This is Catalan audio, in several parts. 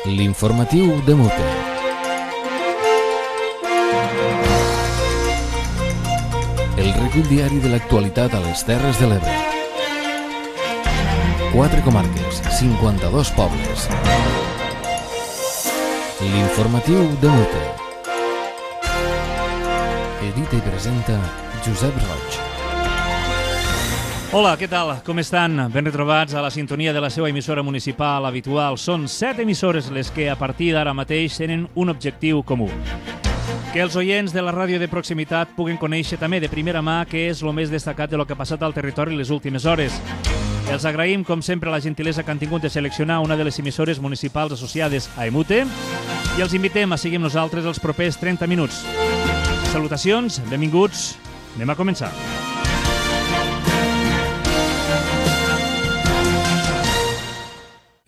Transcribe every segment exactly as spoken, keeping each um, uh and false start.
L'informatiu de Mute. El recull diari de l'actualitat a les Terres de l'Ebre. Quatre comarques, cinquanta-dos pobles. L'informatiu de Mute. Edita i presenta Josep Roig. Hola, què tal? Com estan? Ben retrobats a la sintonia de la seva emissora municipal habitual. Són set emissores les que a partir d'ara mateix tenen un objectiu comú. Que els oients de la ràdio de proximitat puguen conèixer també de primera mà què és el més destacat de lo que ha passat al territori les últimes hores. Els agraïm, com sempre, la gentilesa que han tingut de seleccionar una de les emissores municipals associades a Emute i els invitem a seguir amb nosaltres els propers trenta minuts. Salutacions, benvinguts, anem a començar.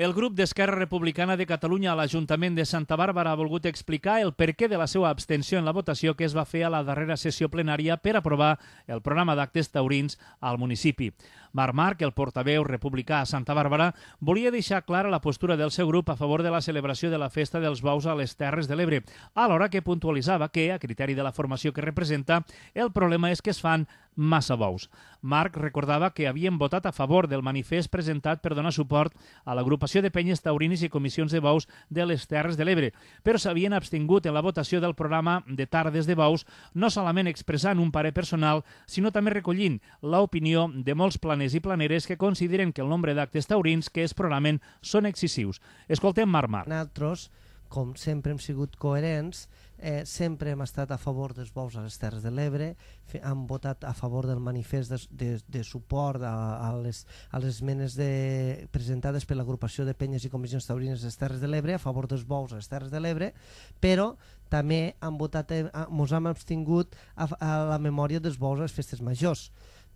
El grup d'Esquerra Republicana de Catalunya a l'Ajuntament de Santa Bàrbara ha volgut explicar el perquè de la seva abstenció en la votació que es va fer a la darrera sessió plenària per aprovar el programa d'actes taurins al municipi. Marc Marc, el portaveu republicà a Santa Bàrbara, volia deixar clara la postura del seu grup a favor de la celebració de la Festa dels Bous a les Terres de l'Ebre, alhora que puntualitzava que, a criteri de la formació que representa, el problema és que es fan massa bous. Marc recordava que havien votat a favor del manifest presentat per donar suport a l'agrupació de penyes taurines i comissions de bous de les Terres de l'Ebre, però s'havien abstingut en la votació del programa de tardes de bous, no solament expressant un parer personal, sinó també recollint l'opinió de molts planers i planeres que consideren que el nombre d'actes taurins que es programen són excessius. Escoltem Marc Marc. Nosaltres, com sempre hem sigut coherents, eh, sempre hem estat a favor dels bous a les Terres de l'Ebre, hem votat a favor del manifest de, de, de suport a, a, les, a les esmenes de, presentades per l'agrupació de penyes i comissions taurines a les Terres de l'Ebre, a favor dels bous a les Terres de l'Ebre, però també hem votat, ens hem abstingut a, a la memòria dels bous a les festes majors.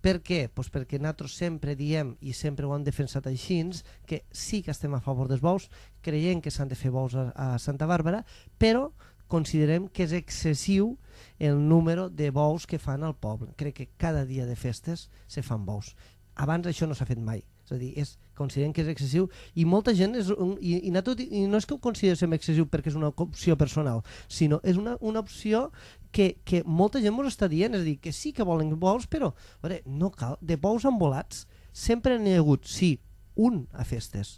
Per què? Pues perquè nosaltres sempre diem, i sempre ho hem defensat així, que sí que estem a favor dels bous, creiem que s'han de fer bous a, a Santa Bàrbara, però considerem que és excessiu el número de bous que fan al poble. Crec que cada dia de festes se fan bous. Abans això no s'ha fet mai. És a dir, és, considerem que és excessiu i molta gent és un, i, i, tot, i no és que ho considerem excessiu perquè és una opció personal, sinó és una, una opció que, que molta gent ens està dient, és a dir, que sí que volen bous, però veure, no cal, de bous envolats sempre n'hi ha hagut, sí, un a festes,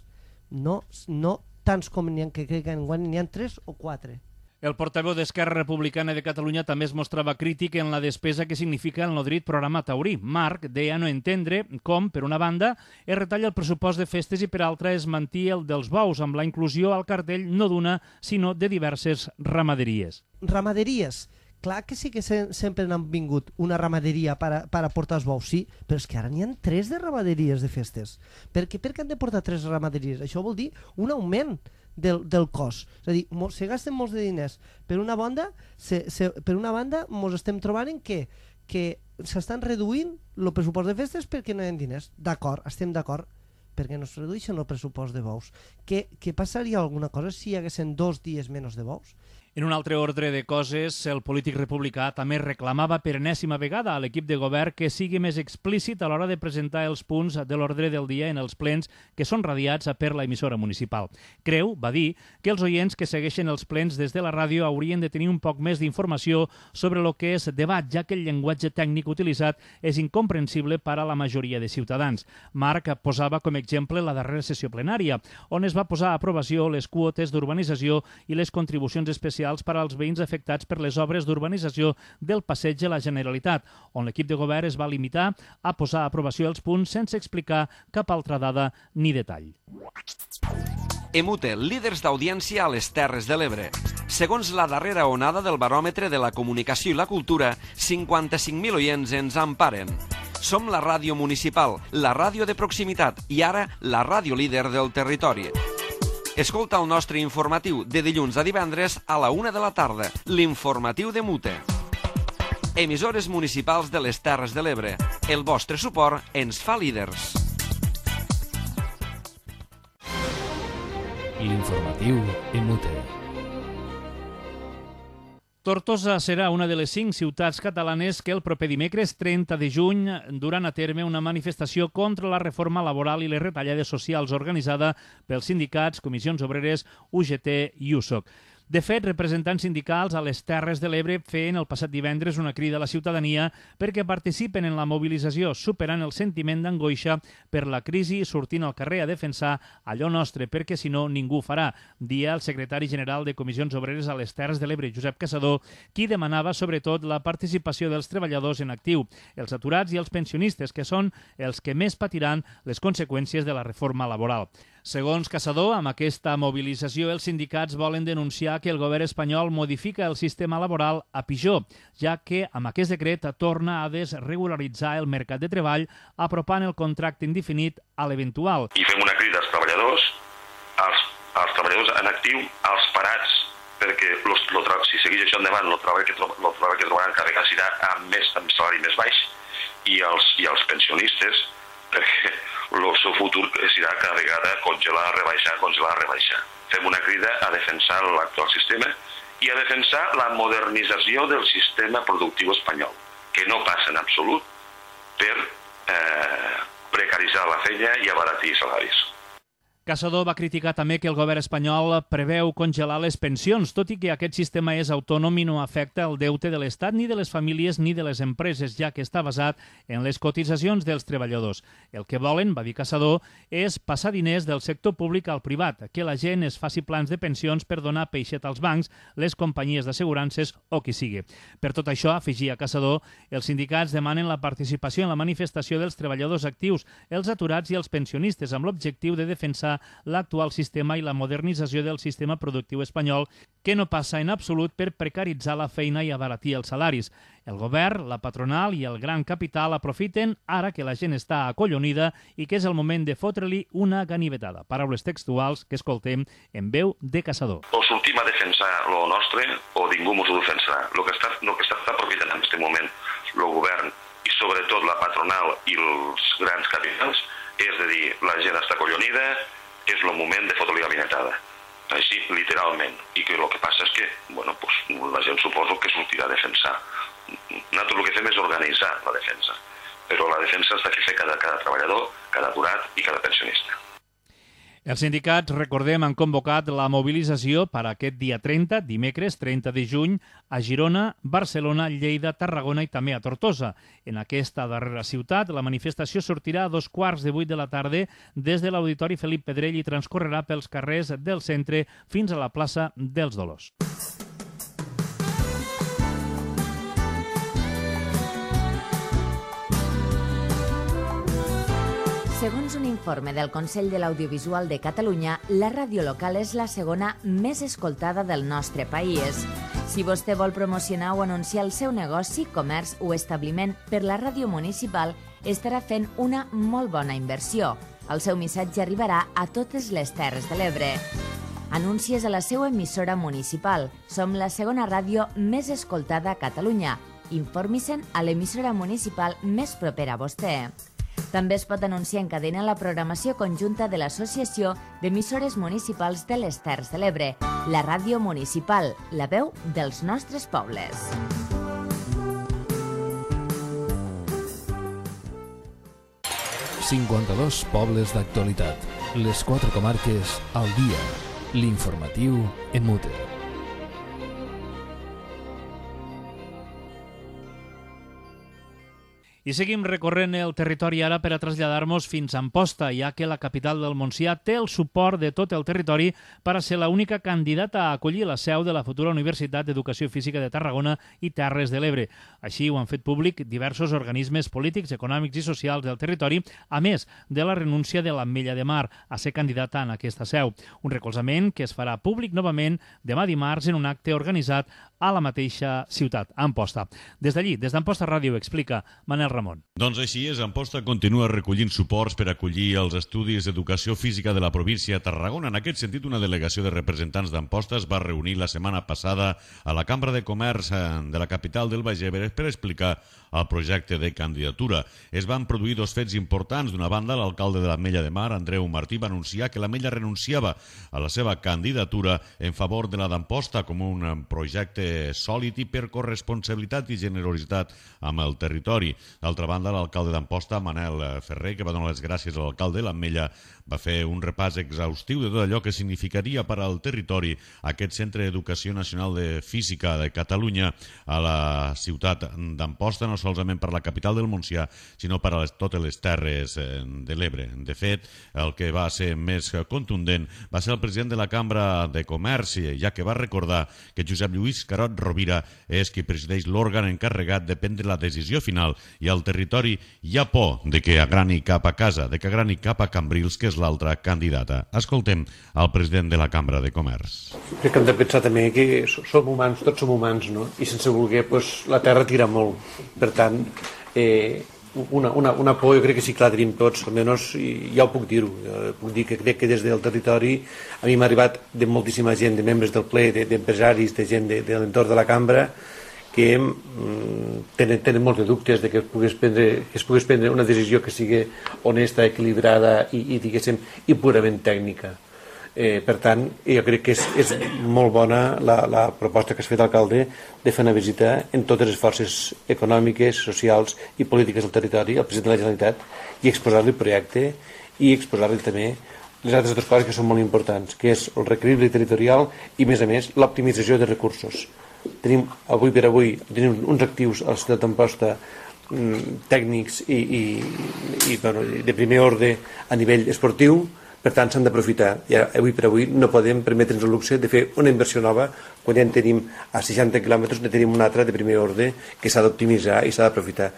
no, no tants com n'hi ha, que crec que enguany n'hi ha tres o quatre. El portaveu d'Esquerra Republicana de Catalunya també es mostrava crític en la despesa que significa el nodrit programa taurí. Marc deia no entendre com, per una banda, es retalla el pressupost de festes i per altra es manté el dels bous, amb la inclusió al cartell no d'una, sinó de diverses ramaderies. Ramaderies. Clar que sí que se, sempre n'han vingut una ramaderia per a, per a portar els bous, sí, però és que ara n'hi ha tres de ramaderies de festes. Per què, per què han de portar tres ramaderies? Això vol dir un augment del, del cost. És a dir, se gasten molts de diners. Per una banda, se, se, per una banda mos estem trobant en què que s'estan reduint el pressupost de festes perquè no hi ha diners. D'acord, estem d'acord, perquè no es redueixen el pressupost de bous. Què, què passaria alguna cosa si hi haguessin dos dies menys de bous? En un altre ordre de coses, el polític republicà també reclamava per enèsima vegada a l'equip de govern que sigui més explícit a l'hora de presentar els punts de l'ordre del dia en els plens que són radiats per la emissora municipal. Creu, va dir, que els oients que segueixen els plens des de la ràdio haurien de tenir un poc més d'informació sobre el que és debat, ja que el llenguatge tècnic utilitzat és incomprensible per a la majoria de ciutadans. Marc posava com exemple la darrera sessió plenària, on es va posar a aprovació les quotes d'urbanització i les contribucions especials per als veïns afectats per les obres d'urbanització del passeig de la Generalitat, on l'equip de govern es va limitar a posar a aprovació els punts sense explicar cap altra dada ni detall. Emute, líders d'audiència a les Terres de l'Ebre. Segons la darrera onada del baròmetre de la comunicació i la cultura, cinquanta-cinc mil oients ens emparen. Som la ràdio municipal, la ràdio de proximitat i ara la ràdio líder del territori. Escolta el nostre informatiu de dilluns a divendres a la una de la tarda, l'informatiu de Mute. Emissores municipals de les Terres de l'Ebre. El vostre suport ens fa líders. L'informatiu de Mute. Tortosa serà una de les cinc ciutats catalanes que el proper dimecres trenta de juny duran a terme una manifestació contra la reforma laboral i les retallades socials organitzada pels sindicats, comissions obreres, U G T i U S O C. De fet, representants sindicals a les Terres de l'Ebre feien el passat divendres una crida a la ciutadania perquè participen en la mobilització, superant el sentiment d'angoixa per la crisi i sortint al carrer a defensar allò nostre, perquè si no ningú ho farà, dia el secretari general de Comissions Obreres a les Terres de l'Ebre, Josep Caçador, qui demanava sobretot la participació dels treballadors en actiu, els aturats i els pensionistes, que són els que més patiran les conseqüències de la reforma laboral. Segons Caçador, amb aquesta mobilització els sindicats volen denunciar que el govern espanyol modifica el sistema laboral a pitjor, ja que amb aquest decret torna a desregularitzar el mercat de treball, apropant el contracte indefinit a l'eventual. I fem una crida als treballadors, als, als treballadors en actiu, als parats, perquè los, lo, si segueix això endavant, el treball que, el treball que trobaran càrrega serà amb, més, amb salari més baix, i els, i els pensionistes, perquè el seu futur serà cada vegada congelar, rebaixar, congelar, rebaixar. Fem una crida a defensar l'actual sistema i a defensar la modernització del sistema productiu espanyol, que no passa en absolut per eh, precaritzar la feina i abaratir salaris. Caçador va criticar també que el govern espanyol preveu congelar les pensions, tot i que aquest sistema és autònom i no afecta el deute de l'Estat, ni de les famílies ni de les empreses, ja que està basat en les cotitzacions dels treballadors. El que volen, va dir Caçador, és passar diners del sector públic al privat, que la gent es faci plans de pensions per donar peixet als bancs, les companyies d'assegurances o qui sigui. Per tot això, afegia Caçador, els sindicats demanen la participació en la manifestació dels treballadors actius, els aturats i els pensionistes, amb l'objectiu de defensar l'actual sistema i la modernització del sistema productiu espanyol, que no passa en absolut per precaritzar la feina i abaratir els salaris. El govern, la patronal i el gran capital aprofiten ara que la gent està acollonida i que és el moment de fotre-li una ganivetada. Paraules textuals que escoltem en veu de Caçador. O sortim a defensar lo nostre o ningú mos ho defensarà. El que està, lo que està aprofitant en aquest moment el govern i sobretot la patronal i els grans capitals és de dir, la gent està acollonida, és el moment de fotre-li gabinetada. Així, literalment. I que el que passa és que, bueno, pues, la gent suposo que sortirà a defensar. Nosaltres el que fem és organitzar la defensa, però la defensa està que fer cada, cada treballador, cada aturat i cada pensionista. Els sindicats, recordem, han convocat la mobilització per aquest dia trenta, dimecres trenta de juny, a Girona, Barcelona, Lleida, Tarragona i també a Tortosa. En aquesta darrera ciutat, la manifestació sortirà a dos quarts de vuit de la tarda des de l'Auditori Felip Pedrell i transcorrerà pels carrers del centre fins a la plaça dels Dolors. Segons un informe del Consell de l'Audiovisual de Catalunya, la ràdio local és la segona més escoltada del nostre país. Si vostè vol promocionar o anunciar el seu negoci, comerç o establiment per la ràdio municipal, estarà fent una molt bona inversió. El seu missatge arribarà a totes les Terres de l'Ebre. Anuncies a la seva emissora municipal. Som la segona ràdio més escoltada a Catalunya. Informi-se'n a l'emissora municipal més propera a vostè. També es pot anunciar en cadena la programació conjunta de l'Associació d'Emissores Municipals de les Terres de l'Ebre, la ràdio municipal, la veu dels nostres pobles. cinquanta-dos pobles d'actualitat, les quatre comarques al dia, l'informatiu en mute. I seguim recorrent el territori ara per a traslladar-nos fins a Amposta, ja que la capital del Montsià té el suport de tot el territori per a ser l'única candidata a acollir la seu de la futura Universitat d'Educació Física de Tarragona i Terres de l'Ebre. Així ho han fet públic diversos organismes polítics, econòmics i socials del territori, a més de la renúncia de l'Ametlla de Mar a ser candidata en aquesta seu. Un recolzament que es farà públic novament demà dimarts en un acte organitzat a la mateixa ciutat, a Amposta. Des d'allí, des d'Amposta Ràdio, explica Manel Ramon. Doncs així és, Amposta continua recollint suports per acollir els estudis d'educació física de la província de Tarragona. En aquest sentit, una delegació de representants d'Amposta es va reunir la setmana passada a la Cambra de Comerç de la capital del Baix Ebre per explicar el projecte de candidatura. Es van produir dos fets importants. D'una banda, l'alcalde de l'Ametlla de Mar, Andreu Martí, va anunciar que l'Ametlla renunciava a la seva candidatura en favor de la d'Amposta com un projecte ser sòlid i per corresponsabilitat i generositat amb el territori. D'altra banda, l'alcalde d'Amposta, Manel Ferrer, que va donar les gràcies a l'alcalde, l'Ametlla va fer un repàs exhaustiu de tot allò que significaria per al territori aquest Centre d'Educació Nacional de Física de Catalunya a la ciutat d'Amposta, no solament per la capital del Montsià, sinó per a les, totes les terres de l'Ebre. De fet, el que va ser més contundent va ser el president de la Cambra de Comerç, ja que va recordar que Josep Lluís Carot Rovira és qui presideix l'òrgan encarregat de prendre la decisió final i al territori hi ha por de que agrani cap a casa, de que agrani cap a Cambrils, que és l'altra candidata. Escoltem el president de la Cambra de Comerç. Crec que hem de pensar també que som humans, tots som humans, no? I sense voler, doncs, la terra tira molt. Per tant, eh, una, una, una por jo crec que sí que la tenim tots, almenys ja ho puc dir-ho. Puc dir que crec que des del territori a mi m'ha arribat de moltíssima gent, de membres del ple, d'empresaris, de gent de, de l'entorn de la Cambra, que mm, tenen, tenen molts de dubtes de que es pogués prendre, que es pogués prendre una decisió que sigui honesta, equilibrada i, i diguéssim, i purament tècnica. Eh, per tant, jo crec que és, és molt bona la, la proposta que has fet l'alcalde de fer una visita en totes les forces econòmiques, socials i polítiques del territori, al president de la Generalitat, i exposar-li el projecte i exposar-li també les altres dues coses que són molt importants, que és el reequilibri territorial i, a més a més, l'optimització de recursos. Tenim, avui per avui, tenim uns actius a la ciutat d'Amposta tècnics i, i, i bueno, de primer ordre a nivell esportiu, per tant s'han d'aprofitar. I avui per avui no podem permetre'ns el luxe de fer una inversió nova quan ja en tenim a seixanta quilòmetres, ne tenim una altra de primer ordre que s'ha d'optimitzar i s'ha d'aprofitar.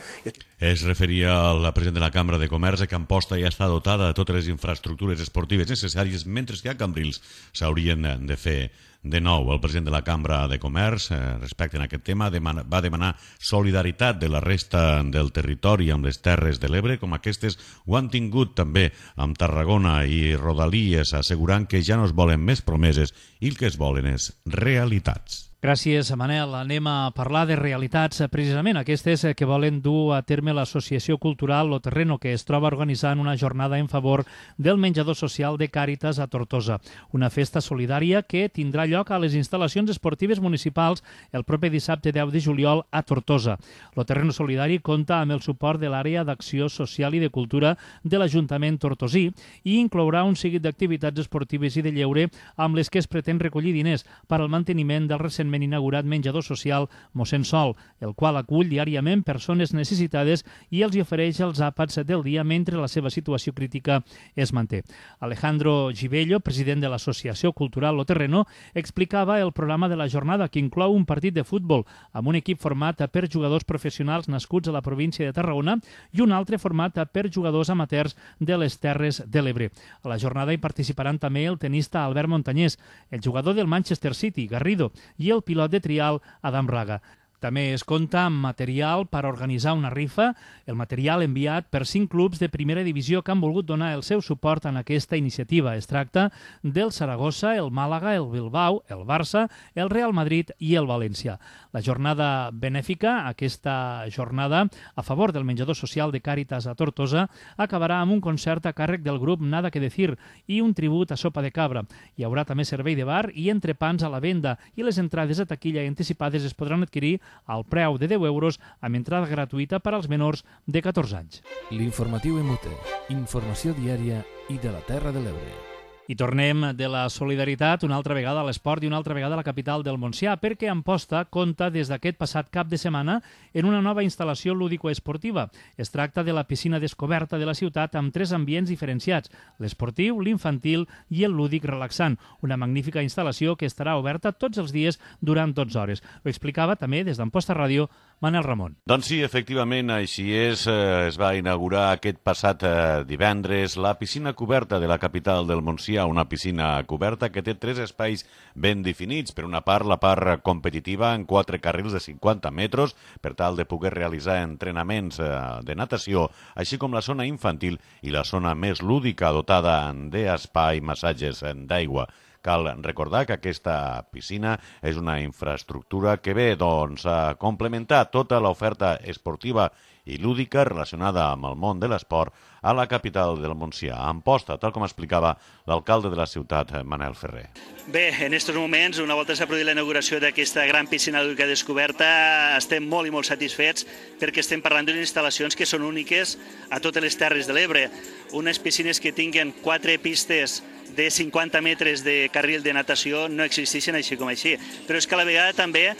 Es referia al president de la Cambra de Comerç que Amposta ja està dotada de totes les infraestructures esportives necessàries, mentre que a Cambrils s'haurien de fer de nou. El president de la Cambra de Comerç, eh, respecte a aquest tema, demana, va demanar solidaritat de la resta del territori amb les Terres de l'Ebre, com aquestes ho han tingut també amb Tarragona i Rodalies, assegurant que ja no es volen més promeses i el que es volen és realitats. Gràcies, Manel. Anem a parlar de realitats, precisament aquestes que volen dur a terme l'Associació Cultural Lo Terreno, que es troba organitzant una jornada en favor del menjador social de Càritas a Tortosa. Una festa solidària que tindrà lloc a les instal·lacions esportives municipals el proper dissabte deu de juliol a Tortosa. Lo Terreno Solidari compta amb el suport de l'Àrea d'Acció Social i de Cultura de l'Ajuntament tortosí i inclourà un seguit d'activitats esportives i de lleure amb les que es pretén recollir diners per al manteniment del recent inaugurat menjador social Mossèn Sol, el qual acull diàriament persones necessitades i els ofereix els àpats del dia mentre la seva situació crítica es manté. Alejandro Gibello, president de l'Associació Cultural Lo Terreno, explicava el programa de la jornada, que inclou un partit de futbol amb un equip format per jugadors professionals nascuts a la província de Tarragona i un altre format per jugadors amateurs de les Terres de l'Ebre. A la jornada hi participaran també el tenista Albert Montañés, el jugador del Manchester City, Garrido, i el pilot de trial Adam Raga. També es compta amb material per organitzar una rifa, el material enviat per cinc clubs de primera divisió que han volgut donar el seu suport en aquesta iniciativa. Es tracta del Saragossa, el Màlaga, el Bilbao, el Barça, el Real Madrid i el València. La jornada benèfica, aquesta jornada a favor del menjador social de Càritas a Tortosa, acabarà amb un concert a càrrec del grup Nada que Decir i un tribut a Sopa de Cabra. Hi haurà també servei de bar i entrepans a la venda i les entrades a taquilla i anticipades es podran adquirir al preu de deu euros amb entrada gratuïta per als menors de catorze anys. L'informatiu Emute, informació diària i de la Terra de l'Ebre. I tornem de la solidaritat una altra vegada a l'esport i una altra vegada a la capital del Montsià, perquè Amposta compta des d'aquest passat cap de setmana en una nova instal·lació lúdico-esportiva. Es tracta de la piscina descoberta de la ciutat amb tres ambients diferenciats, l'esportiu, l'infantil i el lúdic relaxant. Una magnífica instal·lació que estarà oberta tots els dies durant dotze hores. Ho explicava també des d'Amposta Ràdio Manel Ramon. Doncs sí, efectivament, així és. Es va inaugurar aquest passat divendres la piscina coberta de la capital del Montsià, una piscina coberta que té tres espais ben definits. Per una part, la part competitiva en quatre carrils de cinquanta metres per tal de poder realitzar entrenaments de natació, així com la zona infantil i la zona més lúdica dotada d'espai i massatges d'aigua. Cal recordar que aquesta piscina és una infraestructura que ve doncs, a complementar tota l'oferta esportiva i lúdica relacionada amb el món de l'esport a la capital del Montsià, a Amposta, tal com explicava l'alcalde de la ciutat, Manel Ferrer. Bé, en aquests moments, una volta s'ha produït la inauguració d'aquesta gran piscina lúdica descoberta, estem molt i molt satisfets perquè estem parlant d'unes instal·lacions que són úniques a totes les Terres de l'Ebre. Unes piscines que tinguen quatre pistes de cinquanta metres de carril de natació no existeixen així com així, però és que a la vegada també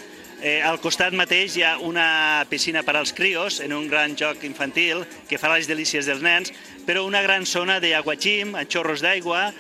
Eh, al costat mateix hi ha una piscina per als crios, en un gran joc infantil, que fa les delícies dels nens, però una gran zona d'aguachim, amb xorros d'aigua,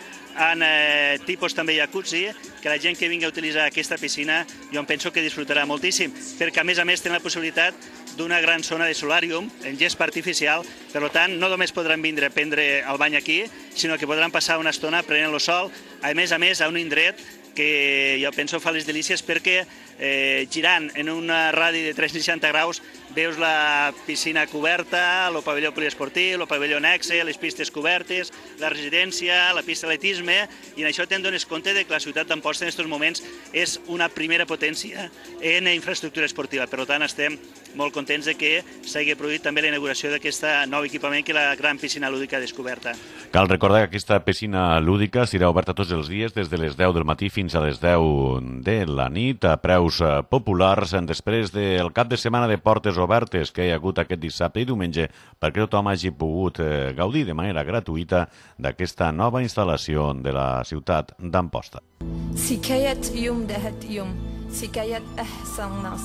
en eh, tipus també jacuzzi, que la gent que vingui a utilitzar aquesta piscina jo em penso que disfrutarà moltíssim, perquè a més a més tenen la possibilitat d'una gran zona de solàrium, en gespa artificial, per tant no només podran vindre a prendre el bany aquí, sinó que podran passar una estona prenent el sol, a més a més a un indret que jo penso fa les delícies perquè eh, girant en una radi de tres cents seixanta graus veus la piscina coberta, el pavelló poliesportiu, el pavelló annexe, les pistes cobertes, la residència, la pista d'atletisme, i en això te'n dones compte de que la ciutat d'Amposta en aquests moments és una primera potència en infraestructura esportiva. Per tant, estem molt contents de que s'hagi produït també la inauguració d'aquest nou equipament que és la gran piscina lúdica descoberta. Cal recordar que aquesta piscina lúdica serà oberta tots els dies des de les deu del matí fins a les deu de la nit a preus populars després del cap de setmana de portes obertes que hi ha hagut aquest dissabte i diumenge perquè tothom hagi pogut eh, gaudir de manera gratuïta d'aquesta nova instal·lació de la ciutat d'Amposta. سكاية يوم دهت يوم سكاية أحسن ناس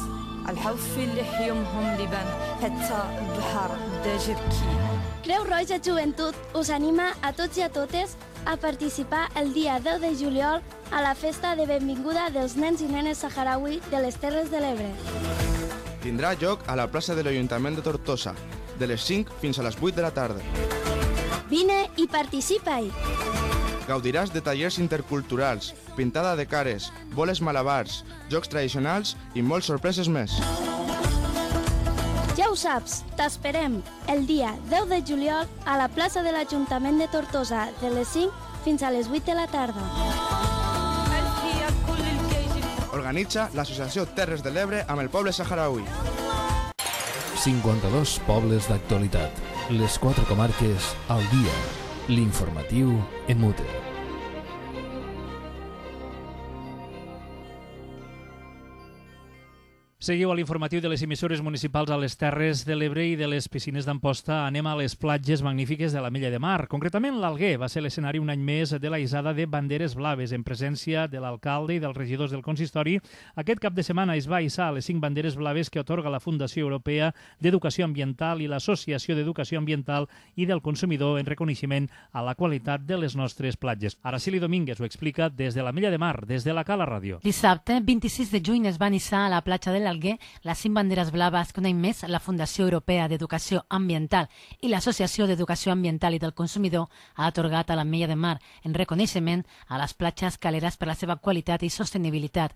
الحوف اللي يومهم لبن حتى البحر داجركي. Creu Roja Joventut us anima a tots i a totes a participar el dia deu de juliol a la festa de benvinguda dels nens i nenes saharaui de les Terres de l'Ebre. Tindrà lloc a la plaça de l'Ajuntament de Tortosa, de les cinc fins a les vuit de la tarda. Vine i participa-hi! Gaudiràs de tallers interculturals, pintada de cares, boles malabars, jocs tradicionals i moltes sorpreses més. Ja ho saps, t'esperem el dia deu de juliol a la plaça de l'Ajuntament de Tortosa de les cinc fins a les vuit de la tarda. Organitza l'Associació Terres de l'Ebre amb el poble saharaui. cinquanta-dos pobles d'actualitat. Les quatre comarques al dia. L'informatiu en Mute. Seguiu a l'informatiu de les emissores municipals a les Terres de l'Ebre i de les piscines d'Amposta. Anem a les platges magnífiques de la Mella de Mar. Concretament, l'Alguer va ser l'escenari un any més de la hissada de banderes blaves en presència de l'alcalde i dels regidors del consistori. Aquest cap de setmana es va hissar les cinc banderes blaves que atorga la Fundació Europea d'Educació Ambiental i l'Associació d'Educació Ambiental i del Consumidor en reconeixement a la qualitat de les nostres platges. Araceli Domínguez ho explica des de la Mella de Mar, des de la Cala Ràdio. Dissabte, vint-i-sis de juny, es van hissar a la platja de l'Alguer les cinc banderes blaves que un any més la Fundació Europea d'Educació Ambiental i l'Associació d'Educació Ambiental i del Consumidor ha atorgat a la Mella de Mar en reconeixement a les platges caleres per la seva qualitat i sostenibilitat.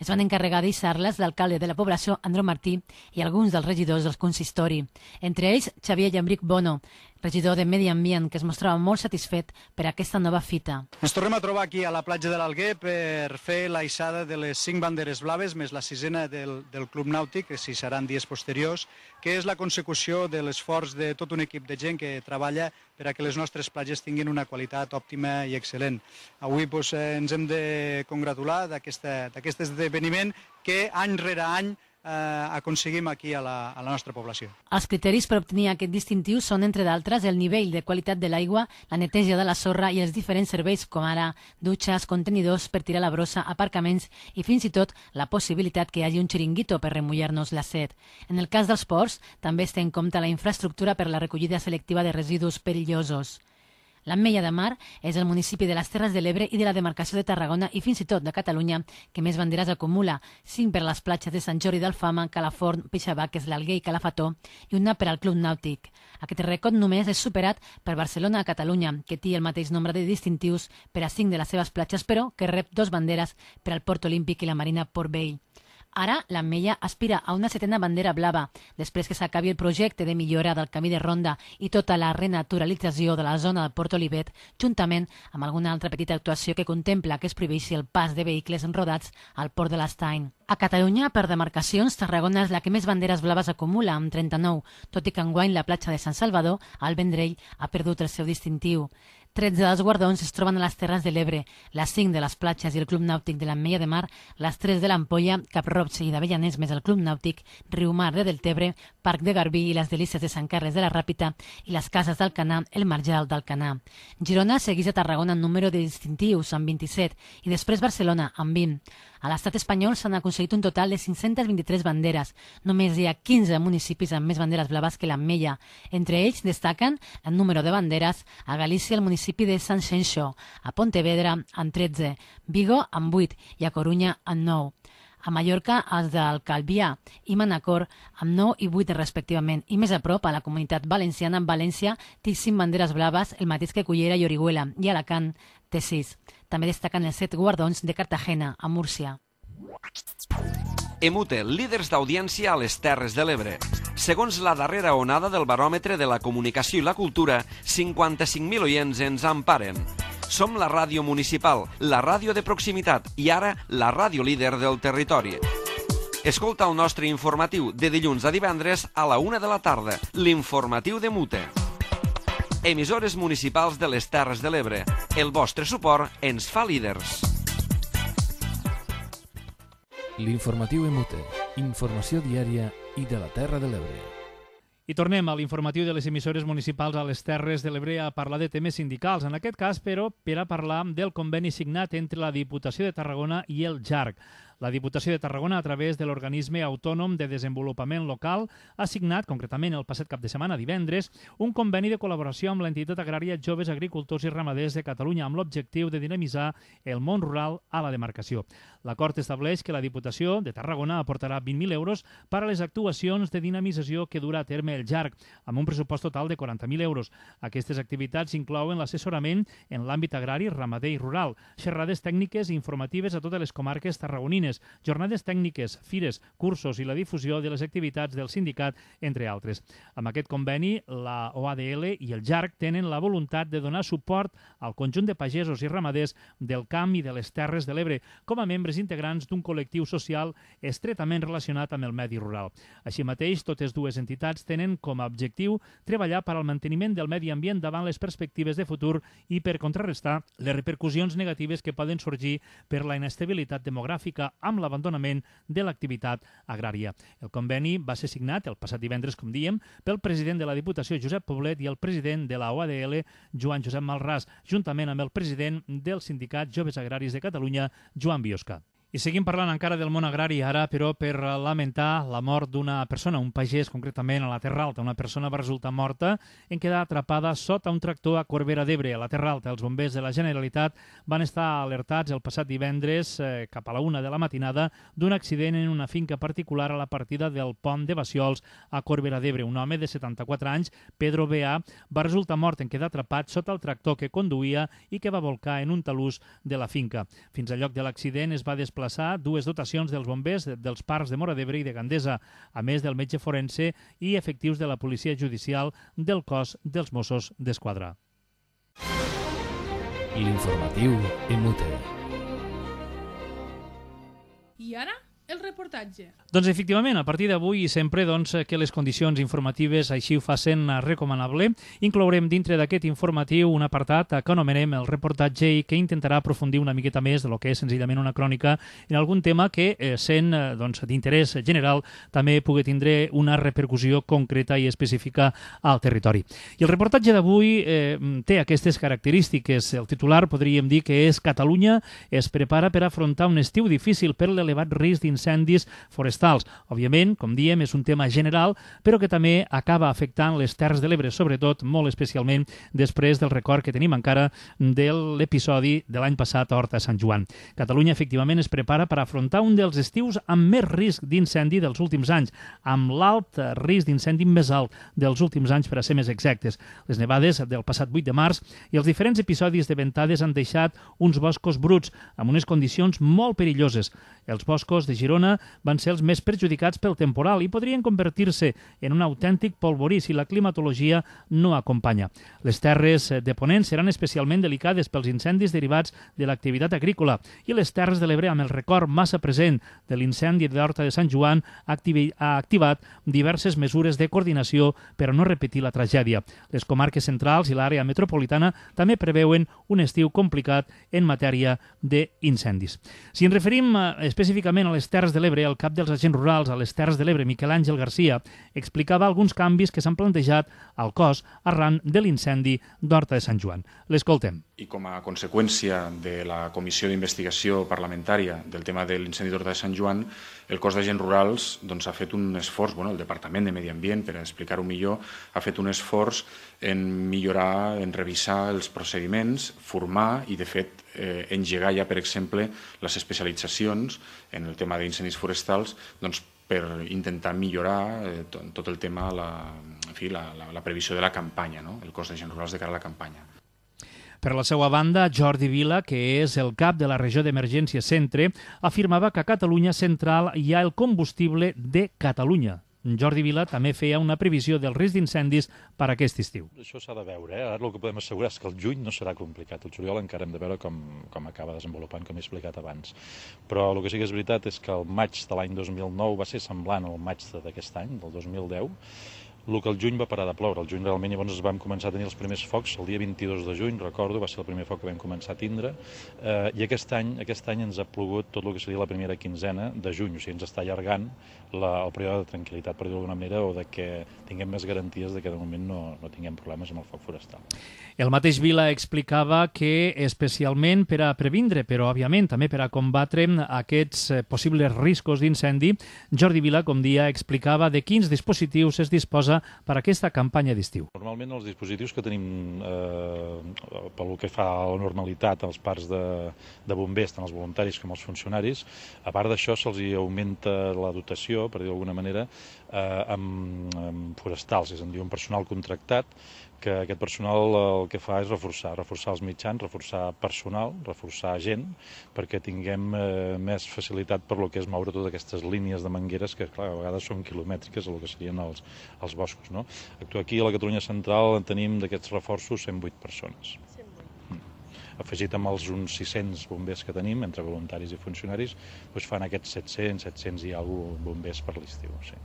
Es van encarregar d'hissar-les l'alcalde de la població, Andreu Martí, i alguns dels regidors del consistori. Entre ells, Xavier Llambric Bono, regidor de Medi Ambient, que es mostrava molt satisfet per aquesta nova fita. Ens tornem a trobar aquí a la platja de l'Alguer per fer la hissada de les cinc banderes blaves més la sisena del, del Club Nàutic, que si seran dies posteriors, que és la consecució de l'esforç de tot un equip de gent que treballa per a que les nostres platges tinguin una qualitat òptima i excel·lent. Avui doncs, ens hem de congratular d'aquest esdeveniment que any rere any Eh, aconseguim aquí a la, a la nostra població. Els criteris per obtenir aquest distintiu són, entre d'altres, el nivell de qualitat de l'aigua, la neteja de la sorra i els diferents serveis com ara dutxes, contenidors per tirar la brossa, aparcaments i fins i tot la possibilitat que hi hagi un xiringuito per remullar-nos la set. En el cas dels ports, també es té en compte la infraestructura per la recollida selectiva de residus perillosos. L'Ametlla de Mar és el municipi de les Terres de l'Ebre i de la demarcació de Tarragona i fins i tot de Catalunya que més banderes acumula, cinc per les platges de Sant Jordi d'Alfama, Calaforn, Pixabaques, l'Alguer i Calafató i una per al Club Nàutic. Aquest rècord només és superat per Barcelona a Catalunya, que té el mateix nombre de distintius per a cinc de les seves platges, però que rep dos banderes per al Port Olímpic i la Marina Port Vell. Ara, l'Ametlla aspira a una setena bandera blava, després que s'acabi el projecte de millora del camí de ronda i tota la renaturalització de la zona de Port Olivet, juntament amb alguna altra petita actuació que contempla que es prohibeixi el pas de vehicles rodats al port de l'Estany. A Catalunya, per demarcacions, Tarragona és la que més banderes blaves acumula, amb trenta-nou, tot i que enguany la platja de Sant Salvador, al Vendrell, ha perdut el seu distintiu. tretze dels guardons es troben a les Terres de l'Ebre, les cinc de les platges i el Club Nàutic de l'Ametlla de Mar, les tres de l'Ampolla, Cap-roig i d'Avellaners més el Club Nàutic, Riumar de Deltebre, Parc de Garbí i les Delícies de Sant Carles de la Ràpita i les Cases d'Alcanar, el Marjal d'Alcanar. Girona segueix a Tarragona en número de distintius, amb vint-i-set, i després Barcelona, amb vint. A l'estat espanyol s'han aconseguit un total de cinc-centes vint-i-tres banderes. Només hi ha quinze municipis amb més banderes blaves que l'Ametlla. Entre ells destaquen, en número de banderes, a Galícia el municipi de Sant Xenxo, a Pontevedra amb tretze, Vigo amb vuit i a Corunya amb nou. A Mallorca, els del Calvià i Manacor amb nou i vuit respectivament. I més a prop, a la Comunitat Valenciana, amb València, té cinc banderes blaves, el mateix que Cullera i Orihuela, i Alacant té sis. També destaquen els set guardons de Cartagena, a Múrcia. Emute, líders d'audiència a les Terres de l'Ebre. Segons la darrera onada del baròmetre de la comunicació i la cultura, cinquanta-cinc mil oients ens emparen. Som la ràdio municipal, la ràdio de proximitat i ara la ràdio líder del territori. Escolta el nostre informatiu de dilluns a divendres a la una de la tarda, l'informatiu de Mute. Emissores municipals de les Terres de l'Ebre. El vostre suport ens fa líders. L'informatiu Emute. Informació diària i de la Terra de l'Ebre. I tornem a l'informatiu de les emissores municipals a les Terres de l'Ebre a parlar de temes sindicals. En aquest cas, però, per a parlar del conveni signat entre la Diputació de Tarragona i el J A R C. La Diputació de Tarragona, a través de l'Organisme Autònom de Desenvolupament Local, ha signat, concretament el passat cap de setmana, divendres, un conveni de col·laboració amb l'entitat agrària Joves Agricultors i Ramaders de Catalunya amb l'objectiu de dinamitzar el món rural a la demarcació. L'acord estableix que la Diputació de Tarragona aportarà vint mil euros per a les actuacions de dinamització que durà a terme el J A R C, amb un pressupost total de quaranta mil euros. Aquestes activitats inclouen l'assessorament en l'àmbit agrari, ramader i rural, xerrades tècniques i informatives a totes les comarques tarragonines, jornades tècniques, fires, cursos i la difusió de les activitats del sindicat, entre altres. Amb aquest conveni, la O A D L i el J A R C tenen la voluntat de donar suport al conjunt de pagesos i ramaders del camp i de les Terres de l'Ebre, com a membres integrants d'un col·lectiu social estretament relacionat amb el medi rural. Així mateix, totes dues entitats tenen com a objectiu treballar per al manteniment del medi ambient davant les perspectives de futur i per contrarrestar les repercussions negatives que poden sorgir per la inestabilitat demogràfica amb l'abandonament de l'activitat agrària. El conveni va ser signat el passat divendres, com diem, pel president de la Diputació, Josep Poblet, i el president de la O A D L, Joan Josep Malràs, juntament amb el president del Sindicat Joves Agraris de Catalunya, Joan Biosca. I seguim parlant encara del món agrari ara, però per lamentar la mort d'una persona, un pagès concretament a la Terra Alta. Una persona va resultar morta en quedar atrapada sota un tractor a Corbera d'Ebre, a la Terra Alta. Els bombers de la Generalitat van estar alertats el passat divendres, eh, cap a la una de la matinada, d'un accident en una finca particular a la partida del pont de Bassiols a Corbera d'Ebre. Un home de setanta-quatre anys, Pedro B A, va resultar mort en quedar atrapat sota el tractor que conduïa i que va volcar en un talús de la finca. Fins al lloc de l'accident es va desplaçar dues dotacions dels bombers dels parcs de Móra d'Ebre i de Gandesa, a més del metge forense i efectius de la policia judicial del cos dels Mossos d'Esquadra. L'informatiu Emute. I ara, el reportatge. Doncs efectivament, a partir d'avui i sempre doncs, que les condicions informatives així ho facin recomanable, inclourem dintre d'aquest informatiu un apartat que anomenem el reportatge i que intentarà aprofundir una miqueta més de lo que és senzillament una crònica en algun tema que, eh, sent eh, doncs, d'interès general, també pugui tindre una repercussió concreta i específica al territori. I el reportatge d'avui eh, té aquestes característiques. El titular podríem dir que és Catalunya es prepara per afrontar un estiu difícil per l'elevat risc d'incendis forestals. Òbviament, com diem, és un tema general, però que també acaba afectant les Terres de l'Ebre, sobretot, molt especialment, després del record que tenim encara de l'episodi de l'any passat a Horta de Sant Joan. Catalunya, efectivament, es prepara per afrontar un dels estius amb més risc d'incendi dels últims anys, amb l'alt risc d'incendi més alt dels últims anys, per a ser més exactes. Les nevades del passat vuit de març i els diferents episodis de ventades han deixat uns boscos bruts, amb unes condicions molt perilloses. Els boscos de Girona Tarragona van ser els més perjudicats pel temporal i podrien convertir-se en un autèntic polvorí si la climatologia no acompanya. Les terres de Ponent seran especialment delicades pels incendis derivats de l'activitat agrícola i les Terres de l'Ebre, amb el record massa present de l'incendi d'Horta de Sant Joan, ha activat diverses mesures de coordinació per a no repetir la tragèdia. Les comarques centrals i l'àrea metropolitana també preveuen un estiu complicat en matèria d'incendis. Si ens referim específicament a les Terres de l'Ebre, el cap dels agents rurals a les Terres de l'Ebre, Miquel Àngel Garcia, explicava alguns canvis que s'han plantejat al cos arran de l'incendi d'Horta de Sant Joan. L'escoltem. I com a conseqüència de la comissió d'investigació parlamentària del tema de l'incendi d'Horta de Sant Joan, el cos d'agents rurals doncs, ha fet un esforç, bueno, el Departament de Medi Ambient, per explicar-ho millor, ha fet un esforç en millorar, en revisar els procediments, formar i, de fet, eh, engegar ja, per exemple, les especialitzacions en el tema d'incendis forestals, doncs, per intentar millorar eh, tot el tema, la, en fi, la, la, la previsió de la campanya, no? El cos d'agents rurals de cara a la campanya. Per la seva banda, Jordi Vila, que és el cap de la regió d'emergència Centre, afirmava que a Catalunya Central hi ha el combustible de Catalunya. Jordi Vila també feia una previsió del risc d'incendis per a aquest estiu. Això s'ha de veure. Eh? Ara el que podem assegurar és que el juny no serà complicat. El juliol encara hem de veure com, com acaba desenvolupant, com he explicat abans. Però el que sí que és veritat és que el maig de l'any dos mil nou va ser semblant al maig d'aquest any, del dos mil deu, el que el juny va parar de ploure. El juny realment llavors vam començar a tenir els primers focs, el dia vint-i-dos de juny, recordo, va ser el primer foc que vam començar a tindre, eh, i aquest any, aquest any ens ha plogut tot el que seria la primera quinzena de juny, o sigui, ens està allargant la, el període de tranquil·litat, per dir-ho d'alguna manera, o de que tinguem més garanties de que de moment no, no tinguem problemes amb el foc forestal. El mateix Vila explicava que especialment per a previndre, però òbviament també per a combatre aquests possibles riscos d'incendi, Jordi Vila, com dia, explicava de quins dispositius es disposa per a aquesta campanya d'estiu. Normalment els dispositius que tenim eh, pel que fa a la normalitat als parcs de, de bombers, tant els voluntaris com els funcionaris, a part d'això se'ls augmenta la dotació, per dir d'alguna manera, eh, amb, amb forestals, és a dir, un personal contractat, que aquest personal el que fa és reforçar, reforçar els mitjans, reforçar personal, reforçar gent, perquè tinguem eh, més facilitat per lo que és moure totes aquestes línies de mangueres que, clar, a vegades són quilomètriques a lo que serien els, els boscos, no? Aquí a la Catalunya Central en tenim d'aquests reforços cent vuit persones. Mm. Afegit amb els uns sis-cents bombers que tenim, entre voluntaris i funcionaris, doncs fan aquests set-cents, set-cents i alguna cosa bombers per l'estiu, sí.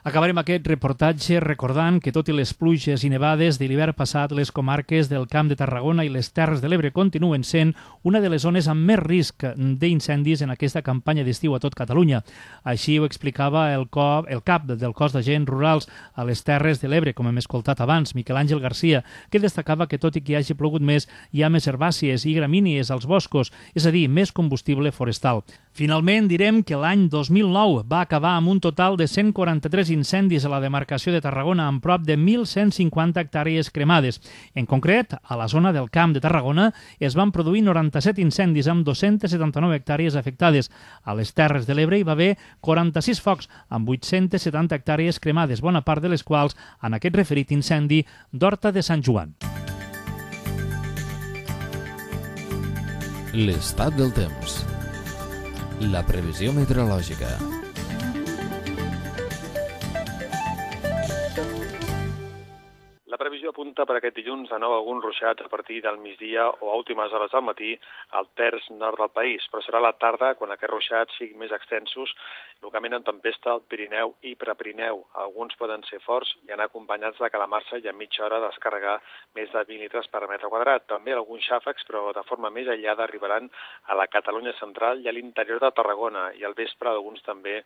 Acabarem aquest reportatge recordant que tot i les pluges i nevades de l'hivern passat, les comarques del Camp de Tarragona i les Terres de l'Ebre continuen sent una de les zones amb més risc d'incendis en aquesta campanya d'estiu a tot Catalunya. Així ho explicava el, cop, el cap del cos d'agents rurals a les Terres de l'Ebre, com hem escoltat abans, Miquel Àngel Garcia, que destacava que tot i que hi hagi plogut més, hi ha més herbàcies i gramínies als boscos, és a dir, més combustible forestal. Finalment, direm que l'any dos mil nou va acabar amb un total de cent quaranta-tres incendis a la demarcació de Tarragona amb prop de mil cent cinquanta hectàrees cremades. En concret, a la zona del Camp de Tarragona es van produir noranta-set incendis amb dos-cents setanta-nou hectàrees afectades. A les Terres de l'Ebre hi va haver quaranta-sis focs amb vuit-cents setanta hectàrees cremades, bona part de les quals en aquest referit incendi d'Horta de Sant Joan. L'estat del temps. La previsió meteorològica. La previsió apunta per aquest dilluns de nou alguns ruixats a partir del migdia o a últimes hores del matí al terç nord del país, però serà a la tarda quan aquests ruixats siguin més extensos, localment en tempesta al Pirineu i Prepirineu. Alguns poden ser forts i anar acompanyats de calamarsa i a mitja hora descarregar més de vint litres per metre quadrat. També alguns xàfecs, però de forma més aïllada, arribaran a la Catalunya central i a l'interior de Tarragona i al vespre alguns també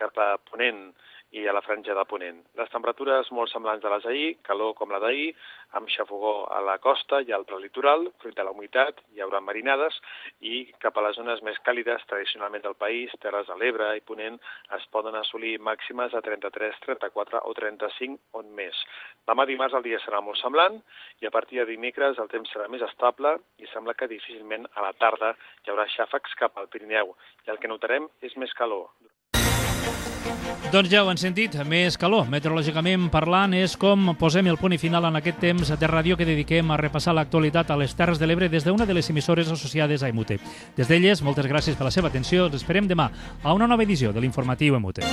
cap a Ponent i a la franja de Ponent. Les temperatures molt semblants a les d'ahir, calor com la d'ahir, amb xafogó a la costa i al prelitoral, fruit de la humitat, hi haurà marinades, i cap a les zones més càlides, tradicionalment del país, Terres de l'Ebre i Ponent, es poden assolir màximes a trenta-tres, trenta-quatre o trenta-cinc on més. Demà dimarts el dia serà molt semblant, i a partir de dimecres el temps serà més estable i sembla que difícilment a la tarda hi haurà xàfecs cap al Pirineu, i el que notarem és més calor. Doncs ja ho han sentit, més calor. Meteorològicament parlant és com posem el punt i final en aquest temps de ràdio que dediquem a repassar l'actualitat a les Terres de l'Ebre des d'una de les emissores associades a Emute. Des d'elles, moltes gràcies per la seva atenció. Els esperem demà a una nova edició de l'Informatiu Emute.